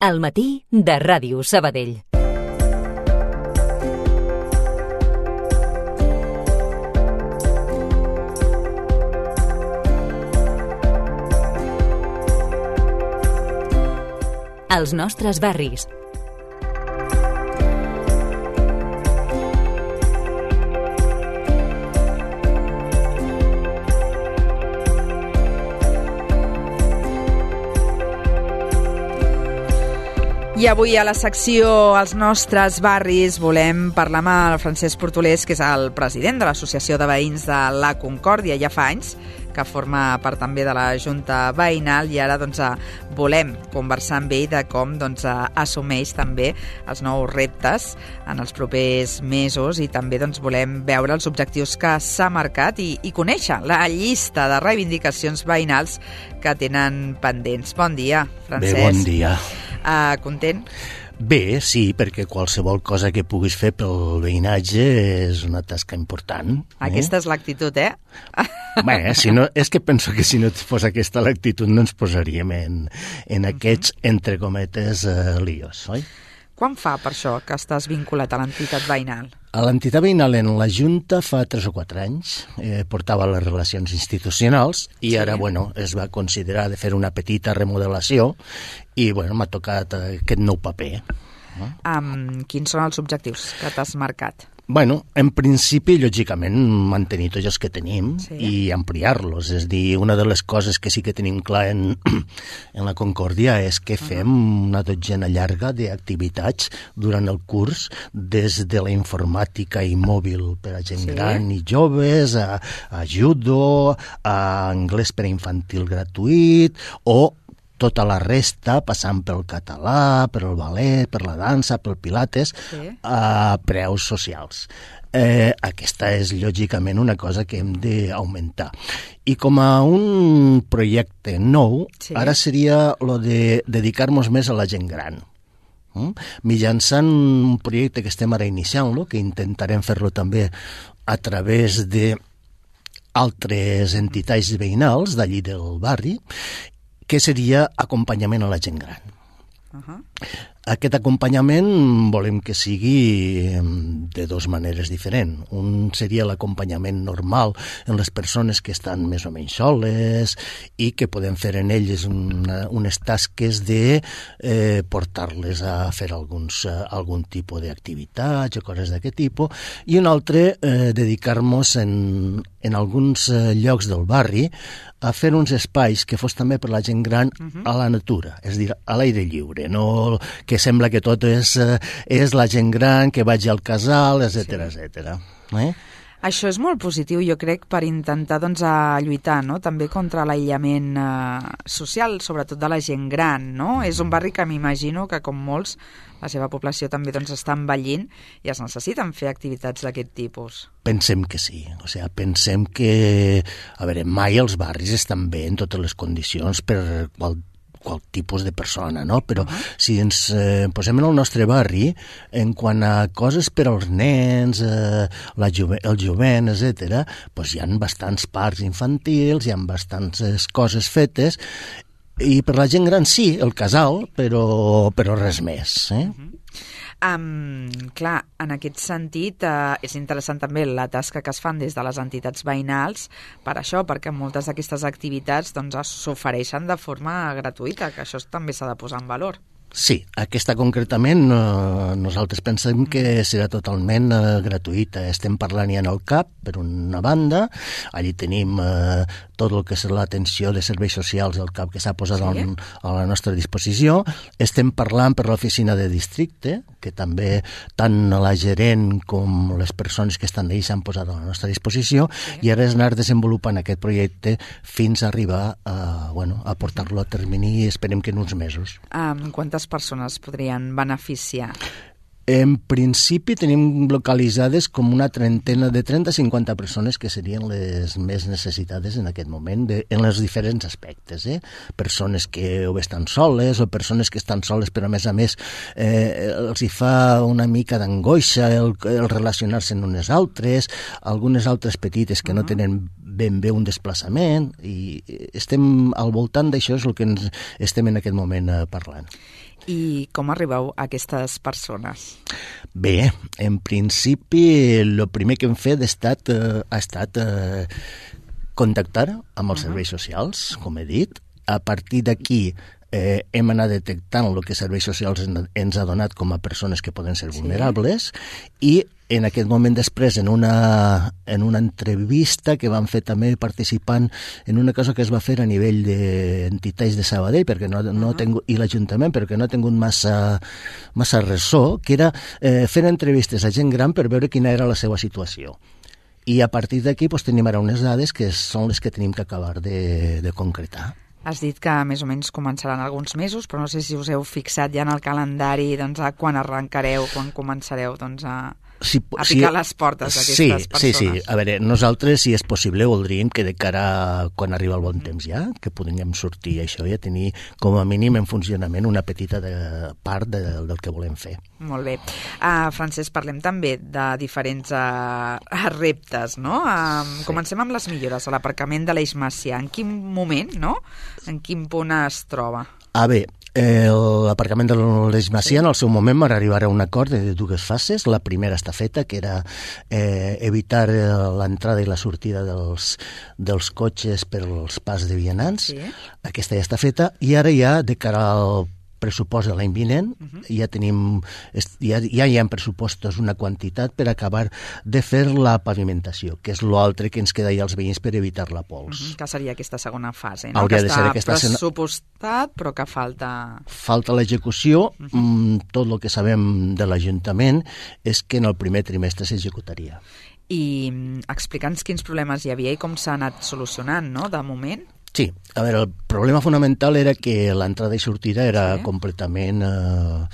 Al matí de Ràdio Sabadell. Els nostres barris. I avui a la secció Els nostres barris volem parlar amb el Francesc Portolés, que és el president de l'Associació de Veïns de la Concòrdia. Ja fa anys que forma part també de la Junta Veïnal i ara volem conversar amb ell de com assumeix també els nous reptes en els propers mesos i també volem veure els objectius que s'ha marcat i conèixer la llista de reivindicacions veïnals que tenen pendents. Bon dia, Francesc. Bé, bon dia. Content? Bé, sí, perquè qualsevol cosa que puguis fer pel veïnatge és una tasca important. Aquesta és l'actitud, Bé, és que penso que si no fos aquesta l'actitud no ens posaríem en aquests, entre cometes, líos, oi? Quan fa, per això, que estàs vinculat a l'entitat veïnal? A l'entitat veïnal en la Junta fa 3 o 4 anys, portava les relacions institucionals i ara, es va considerar de fer una petita remodelació i, m'ha tocat aquest nou paper. Quins són els objectius que t'has marcat? En principi, lògicament, mantenir tots els que tenim i ampliar-los. És a dir, una de les coses que sí que tenim clar en la Concòrdia és que fem una dotzena llarga d'activitats durant el curs, des de la informàtica i mòbil per a gent gran i joves, a judo, a anglès per a infantil gratuït o tota la resta, passant pel català, pel ballet, per la dansa, pel pilates, a preus socials. Aquesta és, lògicament, una cosa que hem d'augmentar. I com a un projecte nou, ara seria lo de dedicar-nos més a la gent gran. Mitjançant un projecte que estem ara iniciant-lo, que intentarem fer-lo també a través d'altres entitats veïnals d'allí del barri, que seria acompanyament a la gent gran. Aquest acompanyament volem que sigui de dues maneres diferents. Un seria l'acompanyament normal en les persones que estan més o menys soles i que podem fer en elles unes tasques de portar-les a fer algun tipus d'activitats o coses d'aquest tipus, i un altre dedicar-nos en alguns llocs del barri a fer uns espais que fos també per la gent gran a la natura, és a dir, a l'aire lliure, no que sembla que tot és la gent gran que vagi al casal, etcètera. Això és molt positiu, jo crec, per intentar lluitar també contra l'aïllament social, sobretot de la gent gran, no? És un barri que m'imagino que, com molts, la seva població també està envellint i es necessiten fer activitats d'aquest tipus. Pensem que sí, pensem que, mai els barris estan bé en totes les condicions per qual tipus de persona, no? Però si ens posem en el nostre barri, en quant a coses per als nens, el jovent, etc., hi ha bastants parcs infantils, hi ha bastantes coses fetes, i per la gent gran sí, el casal, però res més. Clar, en aquest sentit és interessant també la tasca que es fan des de les entitats veïnals per això, perquè moltes d'aquestes activitats s'ofereixen de forma gratuïta, que això també s'ha de posar en valor. Sí, aquesta concretament nosaltres pensem que serà totalment gratuïta. Estem parlant ja en el CAP, per una banda, allí tenim tot el que és l'atenció de serveis socials del CAP que s'ha posat a la nostra disposició. Estem parlant per l'oficina de districte, que també tant la gerent com les persones que estan d'ahir s'han posat a la nostra disposició, i ara és anar desenvolupant aquest projecte fins a arribar a portar-lo a termini, esperem que en uns mesos. Quantes persones podrien beneficiar? En principi tenim localitzades com una trentena de 30-50 persones que serien les més necessitades en aquest moment, en els diferents aspectes. Persones que o bé estan soles o persones que estan soles però a més els hi fa una mica d'angoixa el relacionar-se amb unes altres, algunes altres petites que no tenen ben bé un desplaçament, i estem al voltant d'això, és el que estem en aquest moment parlant. I com arribeu a aquestes persones? Bé, en principi, el primer que hem fet ha estat contactar amb els serveis socials, com he dit. A partir d'aquí hem anat detectant el que serveis socials ens ha donat com a persones que poden ser vulnerables i en aquest moment després, en una entrevista que vam fer també participant en una cosa que es va fer a nivell d'entitats de Sabadell perquè i l'Ajuntament, perquè no ha tingut massa ressò, que era fer entrevistes a gent gran per veure quina era la seva situació. I a partir d'aquí tenim ara unes dades que són les que tenim que acabar de concretar. Has dit que més o menys començaran alguns mesos, però no sé si us heu fixat ja en el calendari a quan arrencareu, quan començareu a picar les portes d'aquestes persones. Sí. A veure, nosaltres, si és possible, voldríem que de cara a quan arriba el bon temps ja, que podríem sortir això i tenir com a mínim en funcionament una petita part del que volem fer. Molt bé. Francesc, parlem també de diferents reptes, no? Comencem amb les millores a l'aparcament de l'Eix Macià. En quin moment, no? En quin punt es troba? Bé, l'aparcament de l'Eix Macià en el seu moment va arribar a un acord de dues fases. La primera està feta, que era evitar l'entrada i la sortida dels cotxes per als pas de vianants. Sí. Aquesta ja està feta i ara ja de cara al pressupost de l'any vinent, ja hi ha pressupostos una quantitat per acabar de fer la pavimentació, que és l'altre que ens queda ja als veïns per evitar la pols. Que seria aquesta segona fase, no? Hauria que de ser aquesta pressupostat, però que falta... Falta l'execució. Tot el que sabem de l'Ajuntament és que en el primer trimestre s'executaria. I explica'ns quins problemes hi havia i com s'ha anat solucionant, no?, de moment. Sí, a veure, el problema fonamental era que l'entrada i sortida era completament a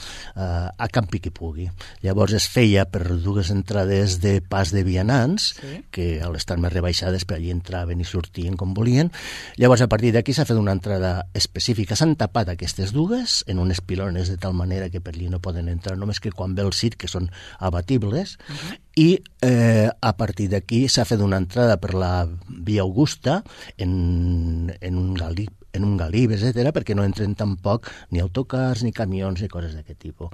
campi qui pugui. Llavors es feia per dues entrades de pas de vianants, que a l'estar més rebaixades per allí entraven i sortien com volien. Llavors a partir d'aquí s'ha fet una entrada específica. S'han tapat aquestes dues en unes pilones de tal manera que per allí no poden entrar, només que quan ve el circ, que són abatibles, i a partir d'aquí s'ha fet una entrada per la via Augusta en un galib, etc., perquè no entren tampoc ni autocars, ni camions, ni coses d'aquest tipus.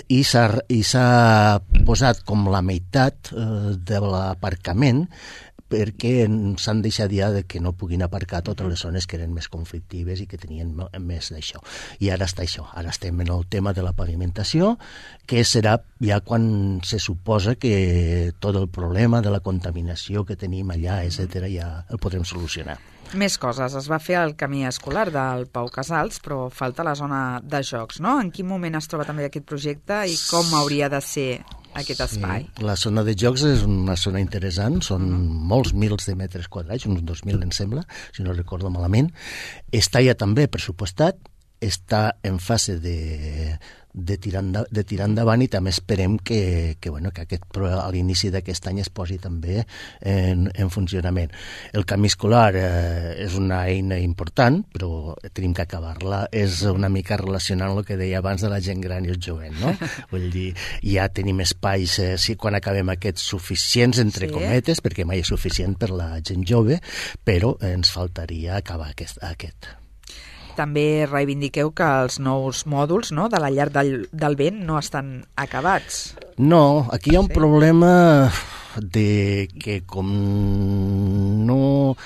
I s'ha posat com la meitat de l'aparcament perquè s'han deixat ja que no puguin aparcar totes les zones que eren més conflictives i que tenien més d'això. I ara està això, ara estem en el tema de la pavimentació, que serà ja quan se suposa que tot el problema de la contaminació que tenim allà, etc., ja el podrem solucionar. Més coses. Es va fer el camí escolar del Pau Casals, però falta la zona de jocs, no? En quin moment es troba també aquest projecte i com hauria de ser aquest espai? La zona de jocs és una zona interessant, són molts mils de metres quadrats, uns 2.000 em sembla, si no recordo malament. Està ja també pressupostat, està en fase de tirar endavant i també esperem que a l'inici d'aquest any es posi també en funcionament. El camí escolar és una eina important, però tenim que acabar-la. És una mica relacionant el que deia abans de la gent gran i el jovent, no? Vull dir, ja tenim espais, quan acabem aquests, suficients, entre cometes, perquè mai és suficient per la gent jove, però ens faltaria acabar aquest. També reivindiqueu que els nous mòduls, no?, de la llar del vent no estan acabats. No, aquí hi ha un problema de que com no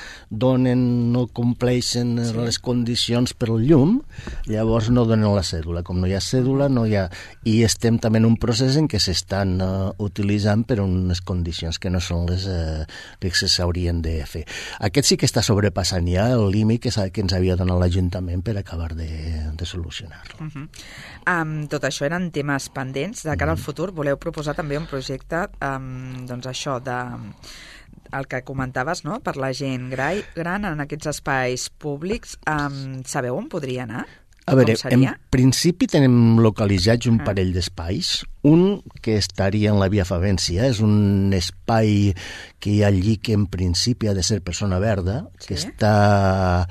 compleixen les condicions per al llum, llavors no donen la cèdula. Com no hi ha cèdula, no hi ha... I estem també en un procés en què s'estan utilitzant per unes condicions que no són les que s'haurien de fer. Aquest sí que està sobrepassant ja el límit que ens havia donat l'Ajuntament per acabar de solucionar-lo. Tot això eren temes pendents. De cara al futur voleu proposar també un projecte, doncs això, el que comentaves, no?, per la gent gran en aquests espais públics. Sabeu on podria anar? A veure, en principi tenim localitzats un parell d'espais. Un que estaria en la Via Favència, és un espai que hi ha allí que en principi ha de ser per zona verda, que està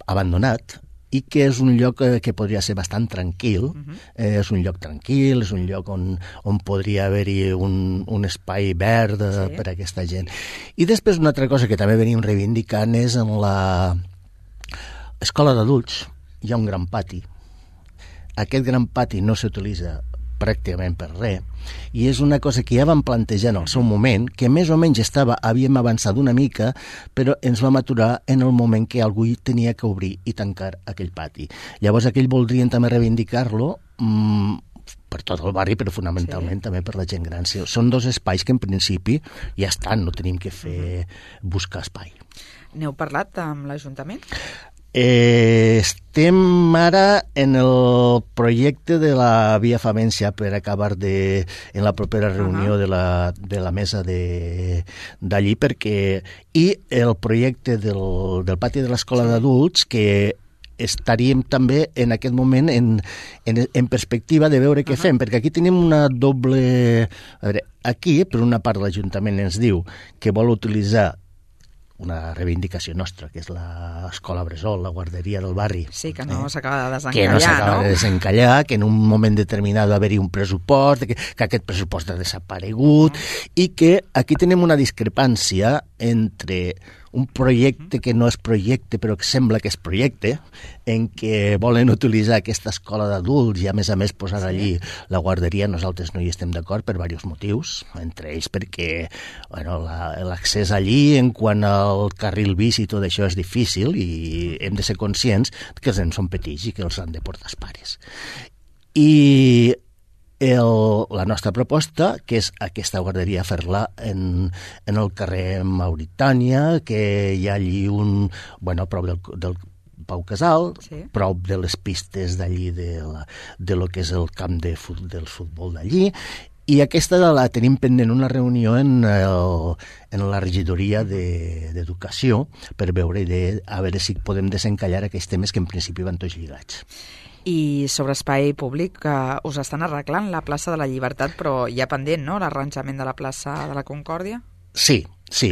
abandonat, i que és un lloc que podria ser bastant tranquil. És un lloc tranquil, és un lloc on podria haver-hi un espai verd per a aquesta gent. I després una altra cosa que també venim reivindicant és en l'escola d'adults. Hi ha un gran pati. aquest gran pati no s'utilitza pràcticament per res, i és una cosa que ja vam plantejar en el seu moment, que més o menys havíem avançat una mica, però ens vam aturar en el moment que algú tenia que obrir i tancar aquell pati. Llavors aquell voldrien també reivindicar-lo per tot el barri, però fonamentalment també per la gent gran. Són dos espais que en principi ja estan, no tenim que buscar espai. N'heu parlat amb l'Ajuntament? Estem ara en el projecte de la Via Favència per acabar en la propera reunió de la mesa d'allí, perquè i el projecte del pati de l'escola d'adults, que estaríem també en aquest moment en perspectiva de veure què fem, perquè aquí tenim una doble... A veure, aquí, per una part, l'Ajuntament ens diu que vol utilitzar una reivindicació nostra, que és l'escola Bressol, la guarderia del barri. Sí, que no s'acaba de desencallar, que no s'acaba de desencallar, que en un moment determinat va haver-hi un pressupost, que aquest pressupost ha desaparegut, i que aquí tenim una discrepància entre un projecte que no és projecte però que sembla que és projecte, en què volen utilitzar aquesta escola d'adults i a més posar allí la guarderia. Nosaltres no hi estem d'acord per diversos motius, entre ells perquè l'accés allí en quant al carril bici i tot això és difícil i hem de ser conscients que els nens són petits i que els han de portar els pares. I la nostra proposta, que és aquesta guarderia, fer-la en el carrer Mauritània, que hi ha allí prop del Pau Casal, prop de les pistes d'allí de lo que és el camp del futbol d'allí, i aquesta la tenim pendent una reunió en la regidoria d'Educació per veure a veure si podem desencallar aquells temes que en principi van tots lligats. I sobre espai públic, us estan arreglant la plaça de la Llibertat, però hi ha pendent, no?, l'arranjament de la plaça de la Concòrdia? Sí,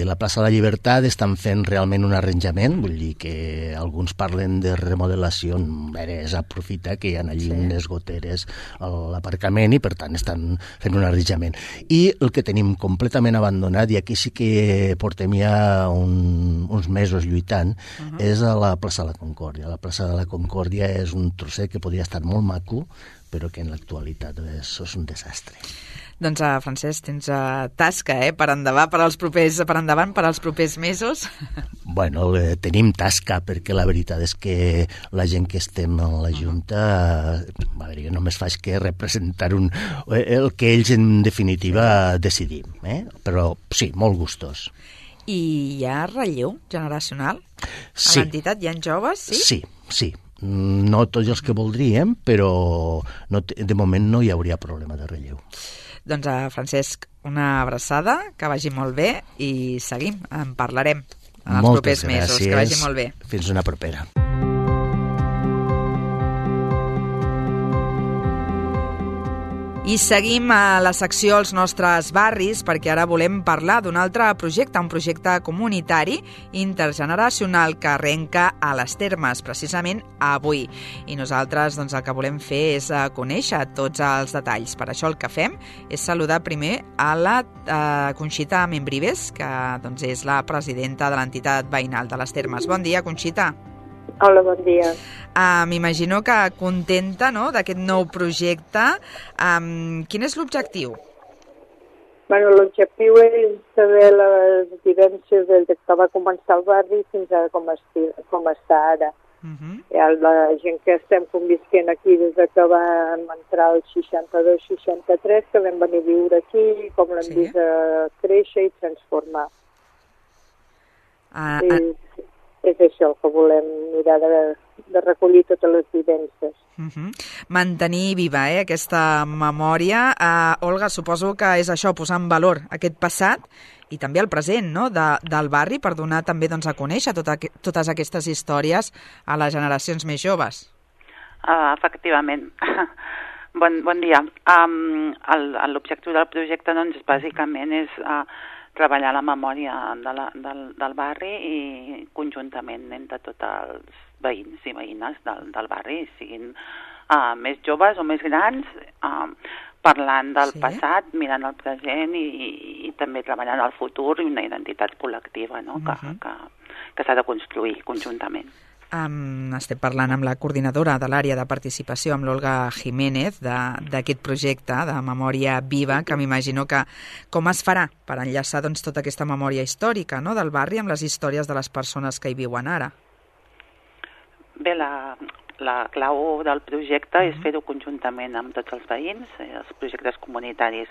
la plaça de la Llibertat estan fent realment un arranjament, vull dir que alguns parlen de remodelació, és aprofitar que hi ha allí unes goteres a l'aparcament i per tant estan fent un arranjament. I el que tenim completament abandonat, i aquí sí que portem ja uns mesos lluitant, és a la plaça de la Concòrdia. La plaça de la Concòrdia és un trosset que podria estar molt maco, però que en l'actualitat és un desastre. Doncs, Francesc, tens tasca per endavant per als propers mesos. Bueno, tenim tasca, perquè la veritat és que la gent que estem a la Junta, jo només faig que representar el que ells en definitiva decidim, però sí, molt gustós. I hi ha relleu generacional? Sí. A l'entitat hi ha joves, sí? Sí. No tots els que voldríem, però de moment no hi hauria problema de relleu. Doncs, Francesc, una abraçada, que vagi molt bé i seguim, en parlarem en els propers mesos. Que vagi molt bé. Fins una propera. I seguim a la secció Els nostres barris, perquè ara volem parlar d'un altre projecte, un projecte comunitari intergeneracional que arrenca a les Termes, precisament avui. I nosaltres el que volem fer és conèixer tots els detalls. Per això el que fem és saludar primer a la Conxita Membrives, que és la presidenta de l'entitat veïnal de les Termes. Bon dia, Conxita. Hola, bon dia. M'imagino que contenta, no?, d'aquest nou projecte. Quin és l'objectiu? L'objectiu és saber les vivències des que va començar el barri fins a com està ara. La gent que estem convisquent aquí des que vam entrar el 62-63, que vam venir a viure aquí, com l'hem vist créixer i transformar. És això el que volem mirar de recollir totes les vivències. Mantenir viva aquesta memòria. Olga, suposo que és això, posar en valor aquest passat i també el present, no?, del barri, per donar també a conèixer totes aquestes històries a les generacions més joves. Efectivament. Bon dia. L'objectiu del projecte, bàsicament és treballar la memòria del barri i conjuntament entre tots els veïns i veïnes del barri, siguin més joves o més grans, parlant del passat, mirant el present i també treballant el futur i una identitat col·lectiva, no?, que s'ha de construir conjuntament. Estem parlant amb la coordinadora de l'àrea de participació, amb l'Olga Jiménez, d'aquest projecte de Memòria Viva, que m'imagino que com es farà per enllaçar tota aquesta memòria històrica, no?, del barri amb les històries de les persones que hi viuen ara. Bé, la clau del projecte és fer-ho conjuntament amb tots els veïns. Els projectes comunitaris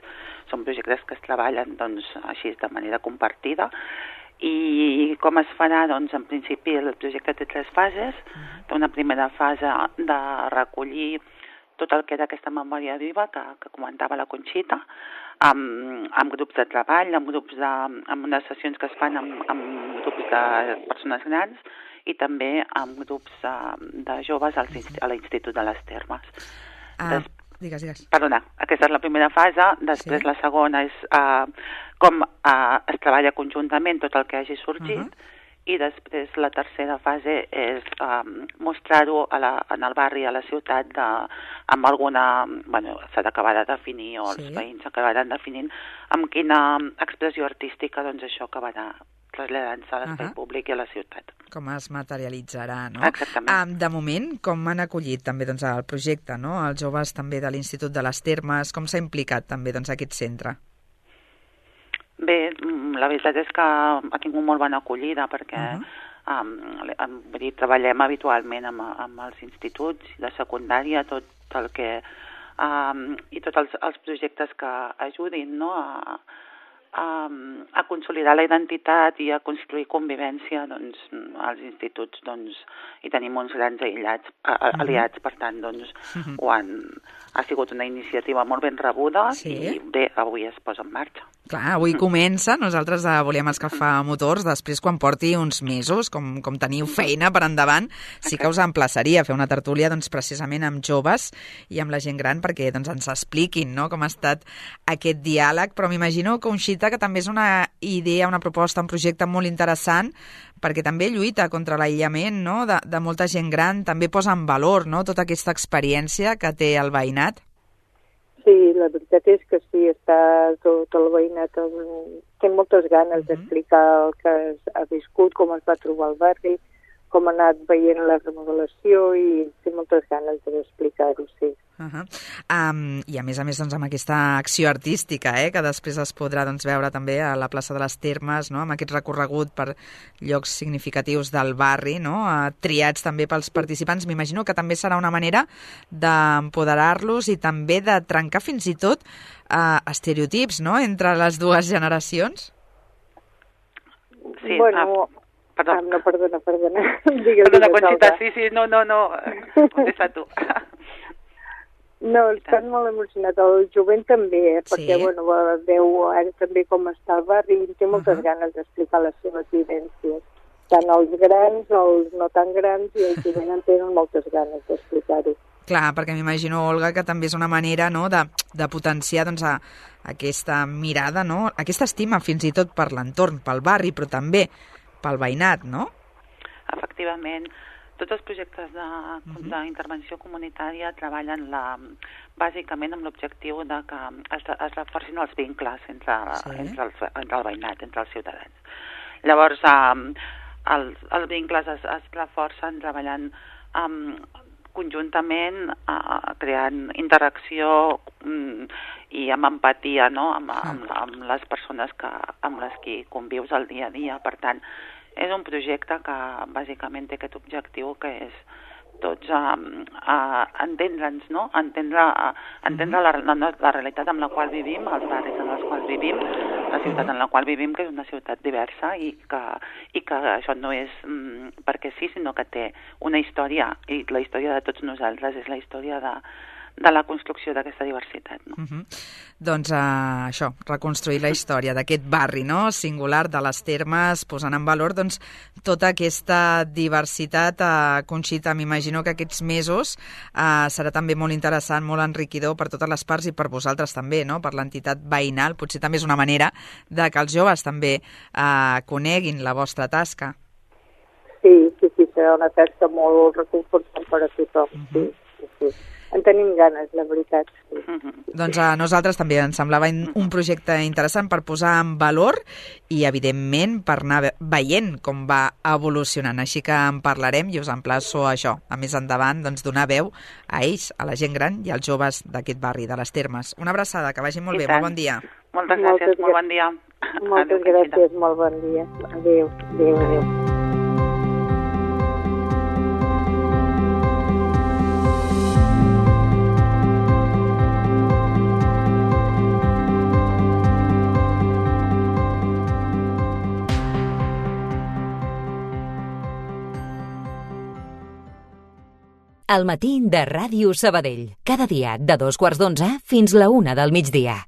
són projectes que es treballen així de manera compartida. I com es farà? Doncs en principi el projecte té 3 fases. Té una primera fase de recollir tot el que era aquesta memòria viva que comentava la Conxita, amb grups de treball, amb unes sessions que es fan amb grups de persones grans i també amb grups de joves a l'Institut de les Termes. Digues. Perdona, aquesta és la primera fase. Després la segona és com es treballa conjuntament tot el que hagi sorgit, i després la tercera fase és mostrar-ho en el barri, a la ciutat, amb alguna... s'ha d'acabar de definir, o els veïns acabaran definint amb quina expressió artística això acabarà traslladant-se a l'espai públic i a la ciutat. Com es materialitzarà, no? Exactament. De moment, com han acollit també el projecte, no?, els joves també de l'Institut de les Termes, com s'ha implicat també aquest centre? Bé, la veritat és que ha tingut molt bona acollida perquè treballem habitualment amb els instituts de secundària, tot el que i tots els projectes que ajudin, no?, a consolidar la identitat i a construir convivència als instituts, i tenim uns grans aliats, per tant, ha sigut una iniciativa molt ben rebuda i bé, avui es posa en marxa. Clar, avui comença, nosaltres volíem escalfar motors, després quan porti uns mesos, com teniu feina per endavant, sí que us emplaçaria a fer una tertúlia precisament amb joves i amb la gent gran perquè ens expliquin, no?, com ha estat aquest diàleg, però m'imagino, Conxita, que també és una idea, una proposta, un projecte molt interessant perquè també lluita contra l'aïllament, no?, de molta gent gran, també posa en valor, no?, tota aquesta experiència que té el veïnat. Sí, la veritat és que sí, està tot el veïnat, té moltes ganes d'explicar el que ha viscut, com es va trobar el barri, com ha anat veient la remodelació i té moltes ganes d'explicar-ho, sí. I a més amb aquesta acció artística, que després es podrà veure també a la plaça de les Termes, no?, amb aquest recorregut per llocs significatius del barri, no?, triats també pels participants. M'imagino que també serà una manera d'empoderar-los i també de trencar fins i tot estereotips, no?, entre les dues generacions. Sí, bueno... Perdona. No, perdona. Perdona, Conxita, sí, no, contesta tu. No, estan molt emocionats. El jovent també, perquè veu ara també com està el barri i té moltes ganes d'explicar les seves vivències. Tant els grans, els no tan grans, i el jovent en tenen moltes ganes d'explicar-ho. Clar, perquè m'imagino, Olga, que també és una manera, no?, de potenciar aquesta mirada, no?, aquesta estima fins i tot per l'entorn, pel barri, però també pel veïnat, no? Efectivament. Tots els projectes d'intervenció comunitària treballen bàsicament amb l'objectiu de que es reforcin els vincles entre el veïnat, entre els ciutadans. Llavors, els vincles es reforcen treballant conjuntament, creant interacció i amb empatia, no?, amb les persones amb les que convius el dia a dia. Per tant, és un projecte que bàsicament té aquest objectiu, que és tots entendre'ns, no?, entendre la realitat amb la qual vivim, els barris en els quals vivim, la ciutat en la qual vivim, que és una ciutat diversa i que això no és perquè sí, sinó que té una història, i la història de tots nosaltres és la història de la construcció d'aquesta diversitat, no? Doncs això, reconstruir la història d'aquest barri, no?, singular de les Termes, posant en valor tota aquesta diversitat. Conxita, m'imagino que aquests mesos serà també molt interessant, molt enriquidor per totes les parts i per vosaltres també, no?, per l'entitat veïnal. Potser també és una manera de que els joves també coneguin la vostra tasca. Sí, serà una tasca molt reconfortant per a tothom, sí. en tenim ganes, la veritat. Sí. Doncs a nosaltres també ens semblava un projecte interessant per posar en valor i, evidentment, per anar veient com va evolucionant. Així que en parlarem i us emplaço a això, a més endavant, doncs, donar veu a ells, a la gent gran i als joves d'aquest barri, de les Termes. Una abraçada, que vagi molt bé, molt bon dia. Moltes gràcies, molt bon dia. Moltes gràcies, molt bon dia. Adéu, adéu, adéu. El matí de Ràdio Sabadell. Cada dia de 2:15 fins la 1 del migdia.